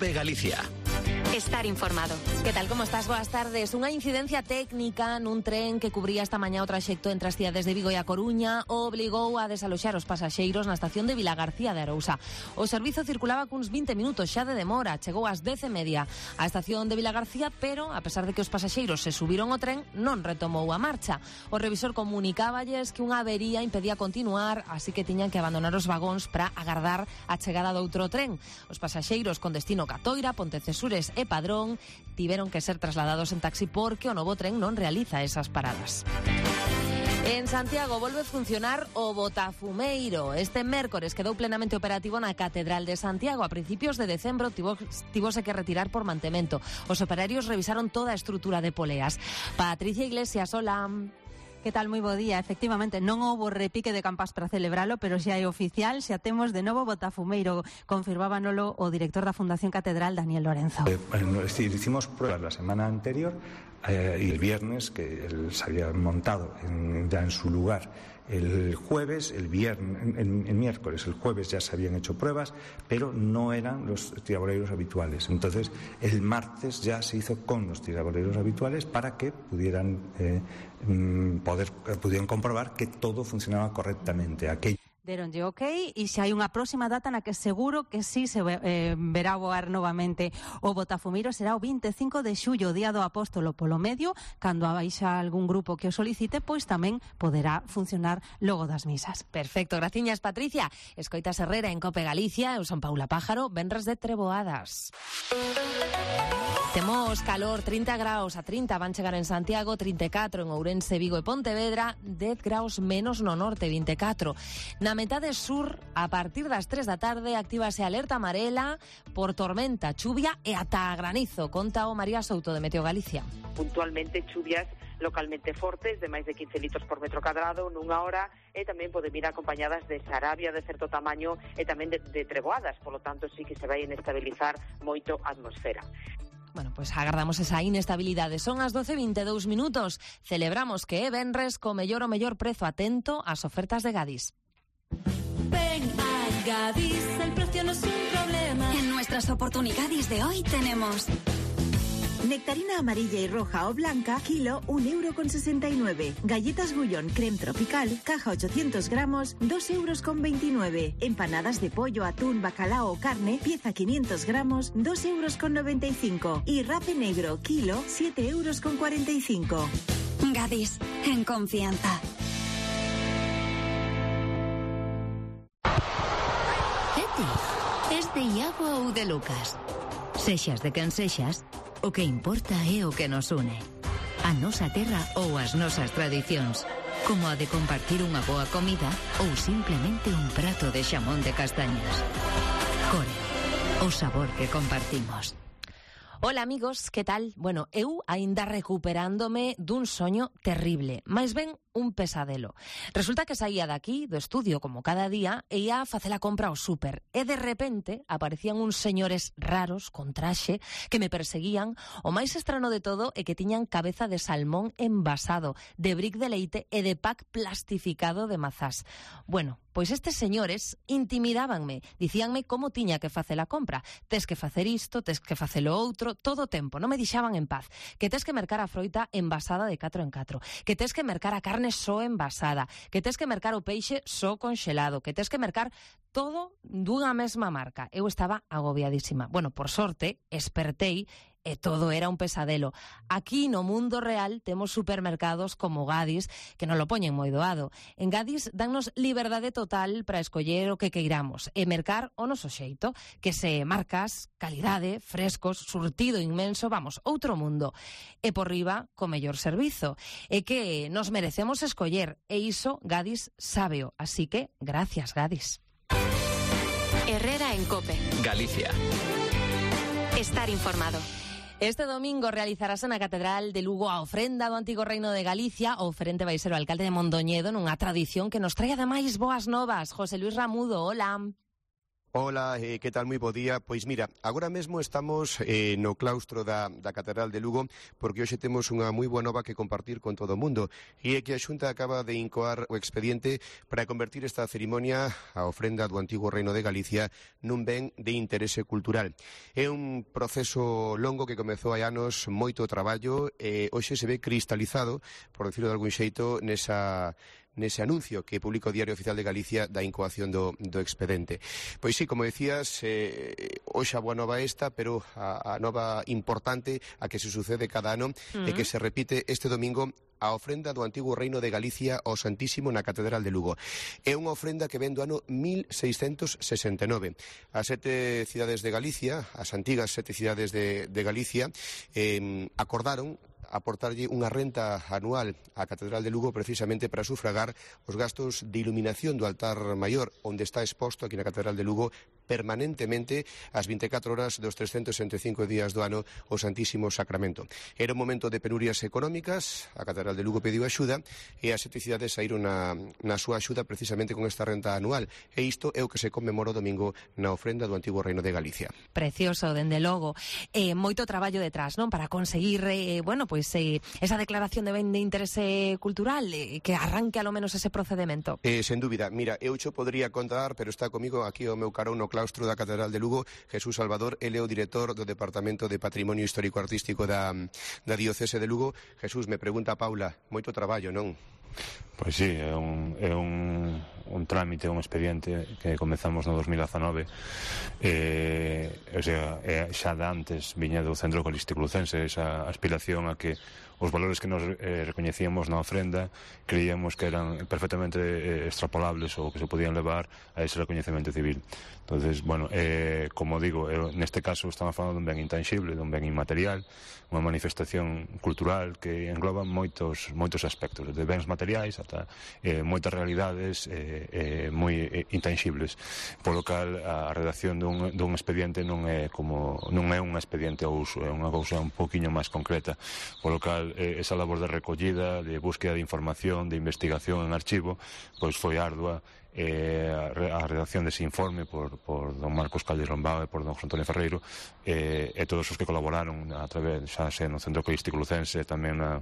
COPE Galicia. Estar informado. Que tal, como estás? Boas tardes. Unha incidencia técnica nun tren que cubría esta mañá o traxecto entre as cidades de Vigo e A Coruña obligou a desaloxar os pasaxeiros na estación de Vilagarcía de Arousa. O servizo circulaba cuns 20 minutos xa de demora, chegou ás 10:30 á estación de Vilagarcía, pero a pesar de que os pasaxeiros se subiron ao tren, non retomou a marcha. O revisor comunicáballes que unha avería impedía continuar, así que tiñan que abandonar os vagóns para agardar a chegada do outro tren. Os pasaxeiros con destino Catoira, Pontecesures e Padrón tiveron que ser trasladados en taxi porque o novo tren non realiza esas paradas. En Santiago volve funcionar o botafumeiro. Este mércores quedou plenamente operativo na Catedral de Santiago. A principios de decembro tivose que retirar por mantemento. Os operarios revisaron toda a estrutura de poleas. Patricia Iglesias, hola. Que tal, moi bo día. Efectivamente, non houbo repique de campás para celebralo, pero xa é oficial, xa temos de novo botafumeiro. Confirmábanolo o director da Fundación Catedral, Daniel Lorenzo. Hicimos pruebas la semana anterior y el viernes, que se había montado ya en su lugar el jueves, el miércoles, el jueves ya se habían hecho pruebas, pero no eran los tiraboleiros habituales. Entonces, el martes ya se hizo con los tiraboleiros habituales para que pudieran comprobar que todo funcionaba correctamente. Deronlle ok, e xa hai unha próxima data na que seguro que sí se verá voar novamente o botafumeiro. Será o 25 de xullo, día do Apóstolo polo medio. Cando abaixa algún grupo que o solicite, pois tamén poderá funcionar logo das misas. Perfecto, graciñas, Patricia. Escoitas Herrera en COPE Galicia. Eu son Paula Pájaro, venres de treboadas. Temos calor, 30 graus a 30 van chegar en Santiago, 34 en Ourense, Vigo e Pontevedra, 10 graus menos no norte, 24. Na metade sur, a partir das 3 da tarde, actívase alerta amarela por tormenta, chuvia e ata granizo. Conta o María Souto de Meteo Galicia. Puntualmente chuvias localmente fortes de máis de 15 litros por metro cadrado nunha hora, e tamén poden vir acompañadas de sarabia de certo tamaño e tamén de treboadas, polo tanto sí que se vai inestabilizar moito a atmosfera. Bueno, pois agardamos esa inestabilidade. Son as 12:22 minutos. Celebramos que é venres co mellor prezo. Atento ás ofertas de Gadis. Ven a Gadis, el precio no es un problema. En nuestras oportunidades de hoy tenemos nectarina amarilla y roja o blanca, kilo 1,69 €. Galletas Gullón creme tropical, caja 800 gramos, 2,29 €. Empanadas de pollo, atún, bacalao o carne, pieza 500 gramos, 2,95 €. Y rape negro, kilo 7,45 €. Gadis, en confianza. Es de Iago ou de Lucas. Sexas de quen sexas, o que importa é o que nos une. A nosa terra ou as nosas tradicións, como a de compartir unha boa comida ou simplemente un prato de xamón de castañas. Core, o sabor que compartimos. Hola amigos, que tal? Bueno, eu aínda recuperándome dun soño terrible, máis ben un pesadelo. Resulta que saía daqui, do estudio, como cada día, e ia a facer a compra ao súper. E de repente aparecían uns señores raros, con traxe, que me perseguían. O máis estrano de todo é que tiñan cabeza de salmón envasado, de bric de leite e de pack plastificado de mazás. Bueno, pois estes señores intimidábanme, dicíanme como tiña que facer a compra. Tes que facer isto, tes que facer o outro, todo o tempo, non me deixaban en paz. Que tes que mercar a froita envasada de 4 en 4, que tes que mercar a carne só envasada, que tes que mercar o peixe só conxelado, que tes que mercar todo dunha mesma marca. Eu estaba agobiadísima. Bueno, por sorte, espertei e todo era un pesadelo. Aquí no mundo real temos supermercados como Gadis que nos lo poñen moi doado. En Gadis dannos liberdade total para escoller o que queiramos e mercar o noso xeito, que se marcas, calidade, frescos, surtido inmenso, vamos, outro mundo. E por riba, co mellor servizo. E que nos merecemos escoller, e iso Gadis sábeo. Así que, gracias Gadis. Herrera en COPE Galicia. Estar informado. Este domingo realizarase na Catedral de Lugo a ofrenda do Antigo Reino de Galicia. O oferente vai ser o alcalde de Mondoñedo nunha tradición que nos trae ademais boas novas. José Luis Ramudo, hola. Ola, que tal? Moi bo día. Pois mira, agora mesmo estamos no claustro da Catedral de Lugo porque hoxe temos unha moi boa nova que compartir con todo o mundo e é que a Xunta acaba de incoar o expediente para convertir esta cerimonia, a ofrenda do antigo Reino de Galicia, nun ben de interese cultural. É un proceso longo que comezou hai anos, moito traballo e hoxe se ve cristalizado, por decirlo de algún xeito, nese anuncio que publica o Diario Oficial de Galicia da incoación do expedente. Pois sí, como decías, hoxe a boa nova esta, pero a nova importante a que se sucede cada ano e que se repite este domingo a ofrenda do antigo Reino de Galicia ao Santísimo na Catedral de Lugo. É unha ofrenda que ven do ano 1669. As 7 cidades de Galicia, as antigas 7 cidades de Galicia, acordaron aportarlle unha renta anual á Catedral de Lugo precisamente para sufragar os gastos de iluminación do altar maior, onde está exposto aquí na Catedral de Lugo permanentemente as 24 horas dos 365 días do ano o Santísimo Sacramento. Era un momento de penurias económicas, a Catedral de Lugo pediu axuda e as 7 cidades saíron na súa axuda precisamente con esta renta anual e isto é o que se conmemora o domingo na ofrenda do antigo Reino de Galicia. Precioso, dende logo. Moito traballo detrás, non? Para conseguir, esa declaración de ben de interese cultural, que arranque a lo menos ese procedimento. Sen dúbida. Mira, eu xo podría contar, pero está comigo aquí o meu carón no claustro da Catedral de Lugo, Jesús Salvador, ele é o director do Departamento de Patrimonio Histórico-Artístico da Diocese de Lugo. Jesús, me pregunta Paula, moito traballo, non? Pois sí, é un trámite, un expediente que comezamos no 2019 xa de antes viña do Centro Holístico Lucense esa aspiración a que os valores que nos recoñecíamos na ofrenda creíamos que eran perfectamente extrapolables ou que se podían levar a ese recoñecemento civil. Entonces, bueno, como digo, neste caso estamos falando dun ben intangible, dun ben inmaterial, unha manifestación cultural que engloba moitos aspectos, desde bens materiais ata moitas realidades moi intangibles, polo cal a redacción dun expediente non é un expediente ao uso, é unha cousa un poquinho máis concreta, polo cal esa labor de recollida, de búsqueda de información, de investigación en archivo, pois foi ardua. A redacción dese informe por don Marcos Calderón Bao e por don José Antonio Ferreiro e todos os que colaboraron a través, xa sei, no Centro Holístico Lucense, tamén na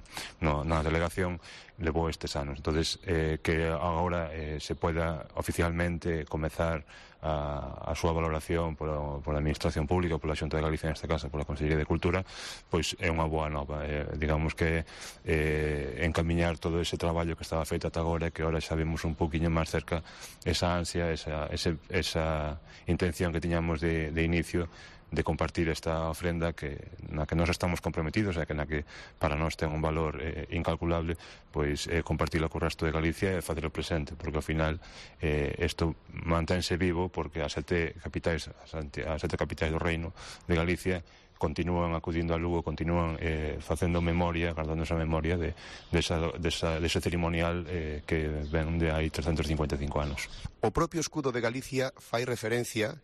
delegación, levou estes anos. Entonces, que agora se poida oficialmente comezar a súa valoración pola Administración Pública, pola Xunta de Galicia neste caso, pola Consellería de Cultura, pois é unha boa nova. Digamos que encamiñar todo ese traballo que estaba feito ata agora, que agora xa vemos un poquinho máis cerca esa ansia, esa intención que tiñamos de inicio de compartir esta ofrenda na que nós estamos comprometidos e na que para nós ten un valor incalculable, pois compartilo co resto de Galicia e facelo presente, porque ao final isto mantense vivo porque as 7 capitais do Reino de Galicia continúan acudindo a Lugo, continúan facendo memoria, guardando esa memoria dese ceremonial que ven de hai 355 anos. O propio escudo de Galicia fai referencia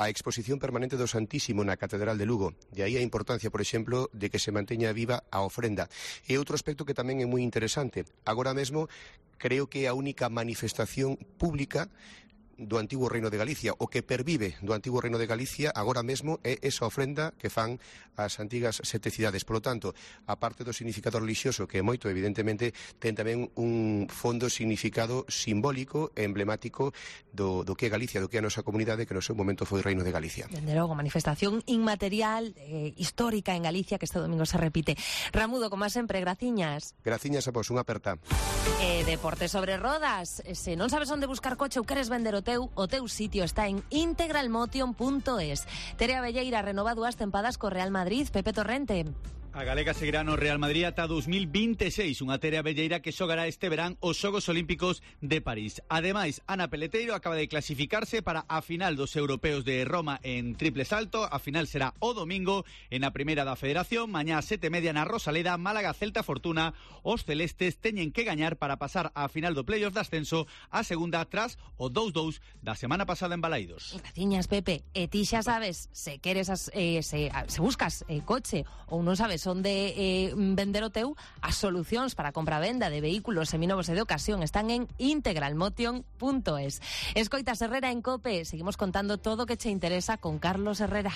a exposición permanente do Santísimo na Catedral de Lugo. De aí a importancia, por exemplo, de que se manteña viva a ofrenda. E outro aspecto que tamén é moi interesante. Agora mesmo, creo que é a única manifestación pública do antigo Reino de Galicia, o que pervive do antigo Reino de Galicia agora mesmo é esa ofrenda que fan as antigas 7 cidades. Por lo tanto, a parte do significado religioso, que é moito, evidentemente, ten tamén un fondo significado simbólico e emblemático do que é Galicia, do que é a nosa comunidade, que no seu momento foi Reino de Galicia. Dende logo, manifestación inmaterial, histórica en Galicia, que este domingo se repite. Ramudo, como sempre, graciñas. Graciñas a vos, unha aperta. Deporte sobre rodas. Se non sabes onde buscar coche ou queres vender o teu sitio está en integralmotion.es. Tere Abelleira renova 2 tempadas co Real Madrid. Pepe Torrente. A galega seguirá no Real Madrid ata 2026, unha Tere Abelleira que xogará este verán os Xogos Olímpicos de París. Ademais, Ana Peleteiro acaba de clasificarse para a final dos europeos de Roma en triple salto. A final será o domingo en a primeira da Federación. Mañá a 7:30 na Rosaleda, Málaga Celta Fortuna. Os celestes teñen que gañar para pasar á final do playoff de ascenso, a segunda tras o 2-2 da semana pasada en Balaídos. Graciñas, Pepe. E ti xa sabes, se queres se buscas coche ou non sabes sabes onde vender o teu, as solucións para compra-venda de vehículos seminovos e de ocasión están en integralmotion.es. Escoitas Herrera en COPE, seguimos contando todo o que che interesa con Carlos Herrera.